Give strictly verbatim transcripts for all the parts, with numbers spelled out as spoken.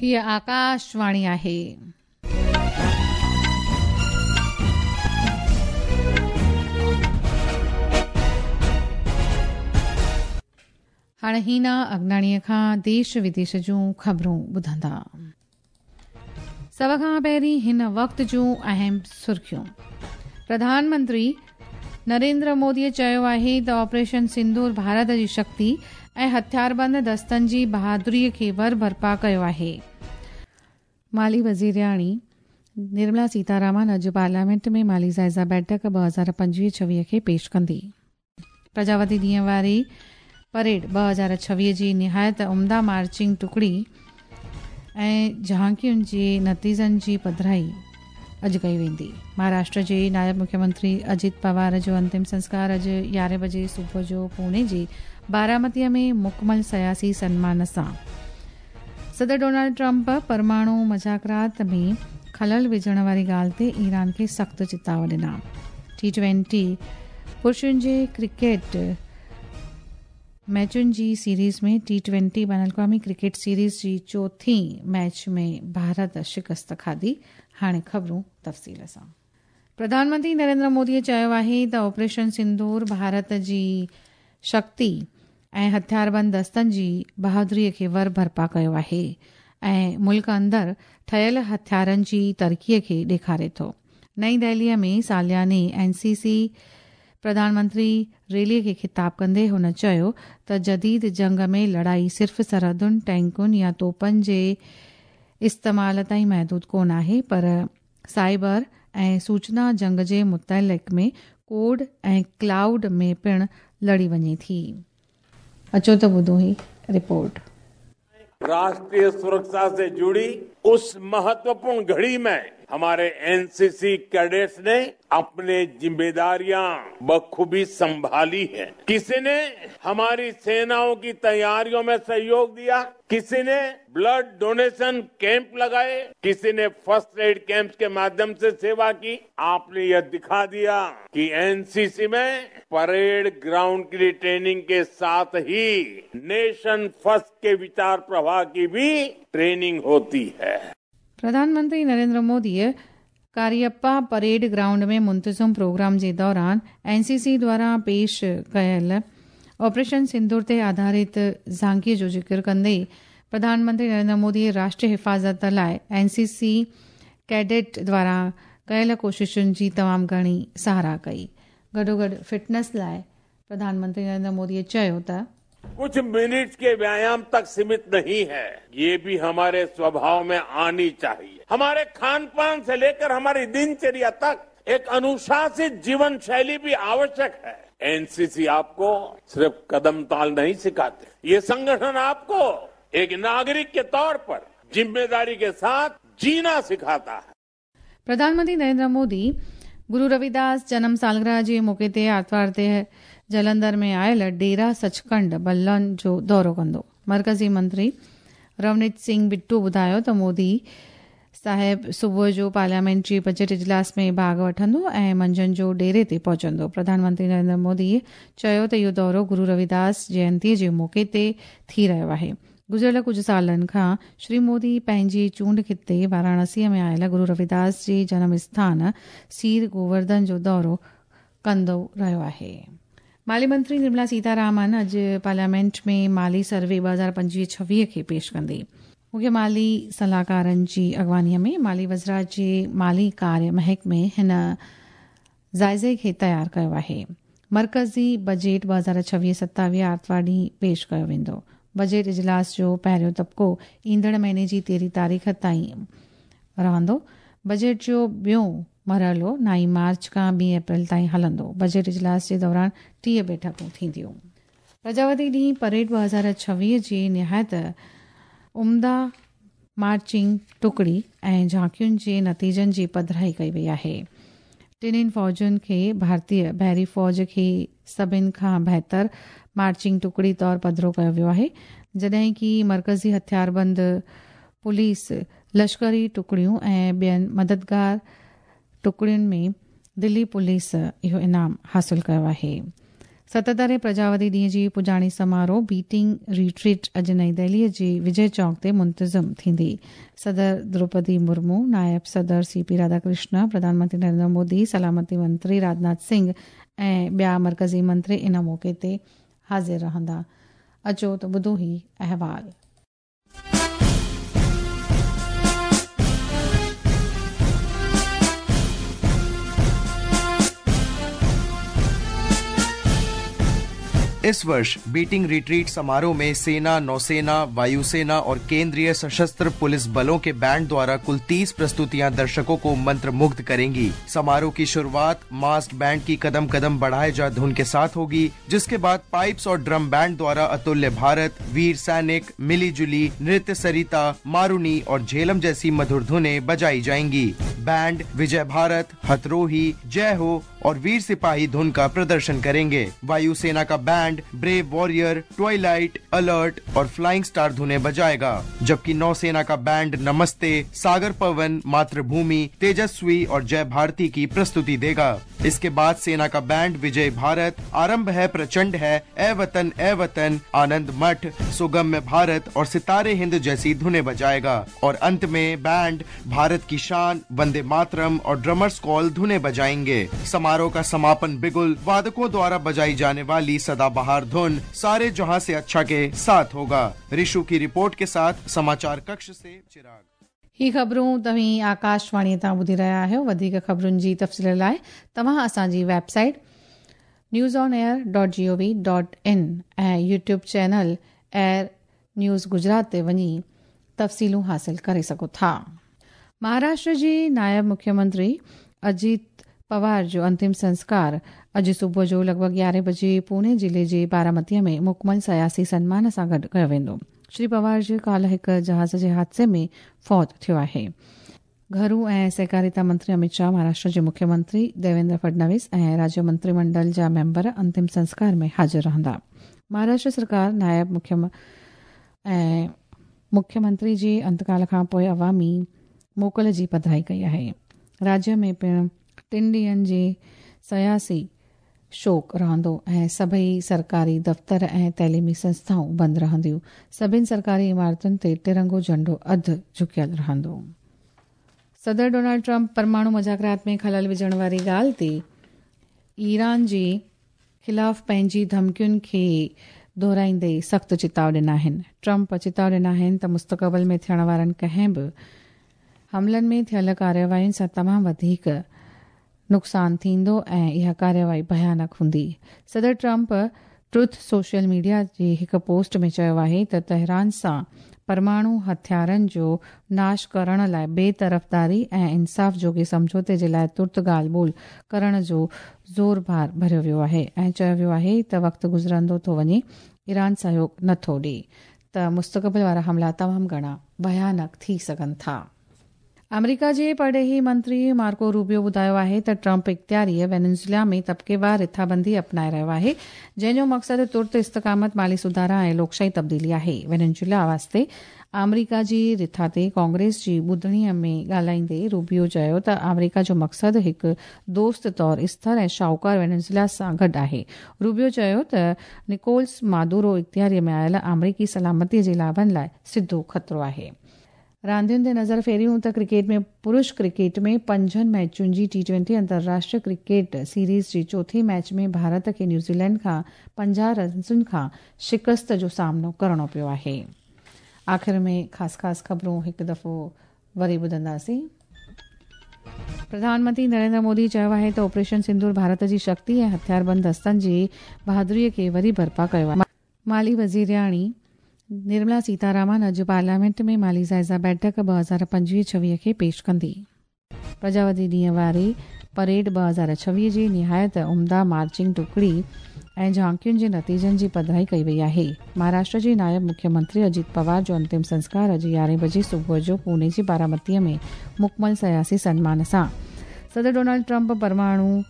हीअ आकाशवाणी आहे। हाणे हीना अगनाणीअ खां देश विदेश जूं ख़बरूं ॿुधंदा। सभ खां पहिरीं हिन वक़्त जूं अहम सुर्खियूं। प्रधानमंत्री नरेंद्र मोदीअ चयो आहे त ऑपरेशन सिंदूर भारत जी शक्ति ऐं हथियारबंद दस्तनि जी बहादुरीअ खे वर बर्पा कयो आहे। माली वज़ीरियाणी निर्मला सीतारामन अॼु पार्लियामेंट में माली जाइज़ा बैठक ॿ हज़ार पंजवीह छवीह खे पेश कंदी। प्रजावती ॾींहं वारी परेड ॿ हज़ार छवीह जी निहायत उम्दा मार्चिंग टुकड़ी ऐं झांकियुनि जे नतीजनि जी पधराई अॼु कई वेंदी। महाराष्ट्र जे नायब मुख्यमंत्री अजित पवार जो अंतिम संस्कार अॼु यारहें बजे सुबुह जो पुणे जे बारामतीअ में मुकमल सियासी सन्मान सां। सदर डोनाल्ड ट्रंप परमाणु मज़ाकरात में ख़लल विझण वारी ॻाल्हि ते ईरान खे सख़्तु चिताव ॾिना। टी ट्वेंटी पुरुषनि जे क्रिकेट मैचुनि जी सीरीज़ में टी ट्वेंटी बैन अल-अक़वामी क्रिकेट सीरीज़ जी चोथीं मैच में भारत शिकस्त खाधी। हाणे ख़बरूं तफ़सील सां। प्रधानमंत्री नरेंद्र मोदीअ चयो आहे त ऑपरेशन सिंदूर भारत जी शक्ति ऐं हथियारबंद दस्तनि जी बहादुरीअ खे वर बर्पा कयो आहे ऐं मुल्क अंदरि ठहियल हथियारनि जी तरक़ीअ खे ॾेखारे थो। नई दिल्लीअ में सालियाने एनसीसी प्रधानमंत्री रैलीअ खे ख़िताब कंदे हुन चयो त जदीद जंग में लड़ाई सिर्फ़ सरहदुनि, टैंकुनि या तोपनि जे इस्तेमाल ताईं महदूद कोन आहे, पर साइबर ऐं सूचना जंग जे मुतअलिक़ में कोड ऐं क्लाउड में पिणु लड़ी वञे थी। अचो त ॿुधो ही रिपोर्ट। राष्ट्रीय सुरक्षा से जुड़ी उस महत्वपूर्ण घड़ी में हमारे एनसीसी कैडेट्स ने अपने जिम्मेदारियां बखूबी संभाली है। किसी ने हमारी सेनाओं की तैयारियों में सहयोग दिया, किसी ने ब्लड डोनेशन कैंप लगाए, किसी ने फर्स्ट एड कैंप के माध्यम से सेवा की। आपने यह दिखा दिया कि एनसीसी में परेड ग्राउंड की ट्रेनिंग के साथ ही नेशन फर्स्ट के विचार प्रवाह की भी ट्रेनिंग होती है। प्रधानमंत्री नरेंद्र मोदीअ कारियप्पा परेड ग्राउंड में मुंतज़म प्रोग्राम जे दौरान एनसीसी द्वारा पेश कयल ऑपरेशन सिंदूर ते आधारित झांकीअ जो ज़िक्र कंदे प्रधानमंत्री नरेंद्र मोदी राष्ट्रीय हिफ़ाज़त लाइ एनसीसी कैडेट द्वारा कयल कोशिशुनि जी तमामु घणी सराह कई। गॾोगॾु फिटनेस लाइ प्रधानमंत्री नरेंद्र मोदीअ चयो त कुछ मिनट के व्यायाम तक सीमित नहीं है, ये भी हमारे स्वभाव में आनी चाहिए। हमारे खान पान से लेकर हमारी दिनचर्या तक एक अनुशासित जीवन शैली भी आवश्यक है। एनसीसी आपको सिर्फ कदम ताल नहीं सिखाते, ये संगठन आपको एक नागरिक के तौर पर जिम्मेदारी के साथ जीना सिखाता है। प्रधानमंत्री नरेंद्र मोदी गुरु रविदास जन्म सालगिरह जे मौक़े ते आतिवार ते जलंधर में आयल डेरा सचखंड बल्लन जो दौरो कंदो। मर्कज़ी मंत्री रवनीत सिंह बिट्टू ॿुधायो त मोदी साहिब सुबुह जो पार्लियामेंट जी बजट इजलास में भाॻ वठंदो ऐं मंझंदि जो डेरे ते पहुचंदो। प्रधानमंत्री नरेंद्र मोदी चयो त इहो दौरो गुरु रविदास जयंतीअ जे मौक़े ते थी रहियो आहे। गुज़िरियल कुझु सालनि खां श्री मोदी पंहिंजी चूंड ख़िते वाराणसीअ में आयल गुरु रविदास जे जनम स्थान सीर गोवर्धन जो दौरो कंदो रहियो आहे। माली मंत्री निर्मला सीतारामन अॼु पार्लियामेंट में माली सर्वे ॿ हज़ार पंजवीह छवीह खे पेश कंदी। मुख्य माली सलाहकारनि जी अॻवानीअ में माली वज़रात जे माली कार्य महकमे हिन जाइज़े खे तयारु कयो आहे। मर्कज़ी बजट ॿ हज़ार छवीह सतावीह आतिवार ॾींहुं पेश कयो वेंदो। बजट इजलास जो पहिरियों तबिको ईंदड़ महीने जी तेरहीं तारीख़ ताईं रहंदो। बजट जो ॿियो मरहलो नाई मार्च खां ॿी अप्रैल ताईं हलंदो। बजट इजलास जे दौरान टीह बैठकूं थींदियूं। प्रजावती ॾींहुं परेड ॿ हज़ार छवीह जी निहायत उम्दा मार्चिंग टुकड़ी ऐं झांकियुनि जे नतीजनि जी पधराई कई वई आहे। टिन्हिनि फ़ौजुनि खे भारतीय बहरी फ़ौज खे सभिनि खां बहितर मार्चिंग टुकड़ी तौर पधरो कयो वियो आहे, जॾहिं की मर्कज़ी हथियारबंद पुलिस, लश्करी टुकड़ियूं ऐं ॿियनि मददगार टुकड़ियुनि में दिल्ली पुलिस इहो इनाम हासिल कयो आहे। सतहतरहें प्रजावती ॾींहं जी पुॼाणी समारोह बीटिंग रिट्रीट अॼु नई दिल्लीअ जे विजय चौक ते मुंतज़िम थींदी। सदर द्रौपदी मुर्मू, नायब सदर सी पी राधाकृष्ण, प्रधानमंत्री नरेंद्र मोदी, सलामती मंत्री राजनाथ सिंह ऐं ॿिया मर्कज़ी मंत्री इन मौक़े ते हाज़िर रहंदा। अचो त ॿुधो ही अहवाल। इस वर्ष बीटिंग रिट्रीट समारोह में सेना, नौसेना, वायुसेना और केंद्रीय सशस्त्र पुलिस बलों के बैंड द्वारा कुल तीस प्रस्तुतियां दर्शकों को मंत्रमुग्ध करेंगी। समारोह की शुरुआत मास्ड बैंड की कदम कदम बढ़ाए जा धुन के साथ होगी, जिसके बाद पाइप्स और ड्रम बैंड द्वारा अतुल्य भारत, वीर सैनिक, मिली जुली, नृत्य सरिता, मारुनी और झेलम जैसी मधुर धुनें बजाई जाएंगी। बैंड विजय भारत, हथरोही, जय हो और वीर सिपाही धुन का प्रदर्शन करेंगे। वायुसेना का band brave warrior, twilight, alert और फ्लाइंग स्टार धुनें बजाएगा, जबकि नौसेना का बैंड नमस्ते, सागर पवन, मातृभूमि, तेजस्वी और जय भारती की प्रस्तुति देगा। इसके बाद सेना का बैंड विजय भारत, आरंभ है प्रचंड है, ए वतन ए वतन, आनंद मठ, सुगम्य भारत और सितारे हिंद जैसी धुनें बजाएगा और अंत में बैंड भारत की शान, वंदे मातरम और ड्रमर्स कॉल धुनें बजाएंगे। समारोह का समापन बिगुल वादकों द्वारा बजाई जाने वाली सदाबहार धुन सारे जहां से अच्छा के साथ होगा। ऋषु की रिपोर्ट के साथ समाचार कक्ष से चिराग। ही ख़बरूं तव्हीं आकाशवाणी तां ॿुधी रहिया आहियो। वधीक ख़बरुनि जी तफ़सील लाइ तव्हां असांजी website news on air dot G O V dot in ऐं YouTube channel air news Gujarat ते वञी तफ़सीलूं हासिल करे सघो था। महाराष्ट्र जी नायब मुख्यमंत्री अजीत पवार जो अंतिम संस्कार अॼु सुबुह जो लॻभॻि यारहें बजे पुणे ज़िले जे बारामतीअ में मुकमल सियासी सन्मान सां गॾु कयो वेंदो। श्री पवार जो काल्ह हिकु जहाज़ जे हादसे में फौत थियो आहे। घरू ऐं सहकारिता मंत्री अमित शाह, महाराष्ट्र जे मुख्यमंत्री देवेंद्र फडणवीस ऐं राज्य मंत्रिमंडल जा मेंबर अंतिम संस्कार में हाज़िर रहंदा। महाराष्ट्र सरकार नायब मुख्य ऐं मुख्यमंत्री जे अंतकाल खां पोइ अवामी मोकल जी पधराई कई आहे। राज्य में पिणु टिनि ॾींहंनि जे सियासी शोक रहंदो ऐं सभई सरकारी दफ़्तर ऐं तइलीमी संस्थाऊं बंदि रहंदियूं। सभिनि सरकारी इमारतुनि ते तिरंगो झंडो अधु झुकियल रहंदो। सदर डोनाल्ड ट्रंप परमाणु मुज़ाकरात में ख़लल विझण वारी ॻाल्हि ते ईरान जे ख़िलाफ़ पंहिंजी धमकियुनि खे दोहराईंदे सख़्तु चिताव ॾिना आहिनि। ट्रंप चिताव ॾिना आहिनि त मुस्तक़बिल में थियण वारनि कंहिं बि हमलनि में थियल कार्यवाहियुनि सां तमामु वधीक नुक़सानु थींदो ऐं इहा कार्यवाही भयानक हूंदी। सदर ट्रंप ट्रुथ सोशल मीडिया जे हिकु पोस्ट में चयो आहे त तेहरान सां परमाणु हथियारनि जो नाश करण लाइ बेतरफ़दारी ऐं इंसाफ़ जोगे सम्झौते जे लाइ तुर्त ॻाल्हि ॿोल करण जो ज़ोर भार भरियो वियो आहे ऐं चयो वियो आहे त वक़्तु गुज़रंदो थो वञे, ईरान सहयोग नथो ॾिए त मुस्तक़बिल वारा हमला तमामु घणा भयानक थी सघनि था। अमेरिका जे परॾेही मंत्री मार्को रूबियो ॿुधायो आहे त ट्रंप इख़्तियारीअ वेनेज़ुएला में तबकेवार रिथाबंदी अपनाए रहियो आहे, जंहिंजो मक़सदु तुर्त इस्तिक़ामत, माली सुधारा ऐं लोकशाही तब्दीली आहे। वेनेज़ुएला वास्ते आमेरिका जी रिथा ते कांग्रेस जी ॿुधणीअ में ॻाल्हाईंदे रूबियो चयो त आमेरिका जो मक़सदु हिकु दोस्त तौर स्थिर ऐं शाहूकार वेनेज़ुएला सां गॾु आहे। रूबियो चयो त निकोल्स मादुरो इख़्तियारीअ में आयल आमेरिकी सलामतीअ जे लाभनि लाइ सिधो ख़तरो आहे। रांदियुनि ते नज़र फेरियूं त क्रिकेट में पुरुष क्रिकेट में पंजनि मैचुनि जी टी ट्वेंटी अंतर्राष्ट्रीय क्रिकेट सीरीज़ जी चोथी मैच में भारत खे न्यूज़ीलैंड खां पंजाह रन्सुनि खां शिकस्त जो सामनो करिणो पियो आहे। आख़िर में ख़ासि ख़ासि ख़बरूं हिकु दफ़ो वरी ॿुधंदासीं। प्रधानमंत्री नरेंद्र मोदी चयो आहे त ऑपरेशन सिंदूर भारत जी शक्ति ऐं हथियारबंद दस्तनि जी बहादुरीअ खे वरी बर्पा कयो आहे। माली वज़ीरियाणी निर्मला सीतारामन अॼु पार्लियामेंट में माली जाइज़ा बैठक ॿ हज़ार पंजवीह छवीह खे पेश कंदी। प्रजावती ॾींहं वारी परेड ॿ हज़ार छवीह जी निहायत उम्दा मार्चिंग टुकड़ी ऐं झांकियुनि जे नतीजनि जी पधराई कई वई आहे। महाराष्ट्र जे नायब मुख्यमंत्री अजीत पवार जो अंतिम संस्कार अॼु यारहें बजे सुबुह जो पुणे जी बारामतीअ में मुकमल सियासी सन्मान सां। सदर डोनाल्ड ट्रंप परमाणु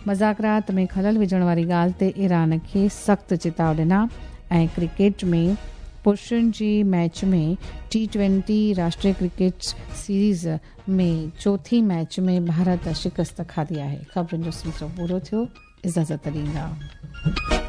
मुज़ाकरात में ख़लल विझण वारी ॻाल्हि ते ईरान खे सख़्तु चिताव ॾिना ऐं क्रिकेट में पुरुषनि जी मैच में टी ट्वेंटी राष्ट्रीय क्रिकेट सीरीज़ में चोथी मैच में भारत शिकस्त खाधी आहे। ख़बरुनि जो सिलसिलो पूरो थियो। इजाज़त ॾींदा।